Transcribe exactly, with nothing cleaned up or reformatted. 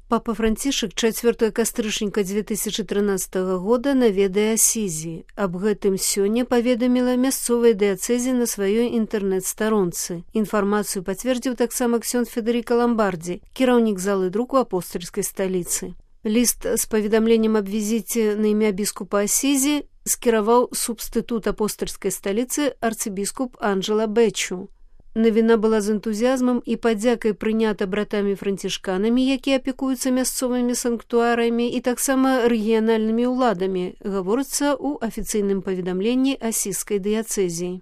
Папа Францішак чацвёртага кастрычніка дзве тысячы трынаццатага года наведае Асізі. Аб гэтым сёння паведаміла мясцовая дыяцэзія на сваёй інтэрнэт-старонцы. Інфармацыю пацвердзіў таксама ксёндз Федэрыка Ламбардзі, кіраўнік залы друку апостальскай сталіцы. Ліст з паведамленнем аб візіце на імя біскупа Асізі скіраваў субстытут апостальскай сталіцы арцыбіскуп Анджела Бэчу. Навіна была з энтузіазмам і падзякай прынята братамі-францішканамі, якія апекуюцца мясцовымі санктуарамі і таксама рэгіянальнымі ўладамі, гаворыцца ў афіцыйным паведамленні асізскай дыяцэзіі.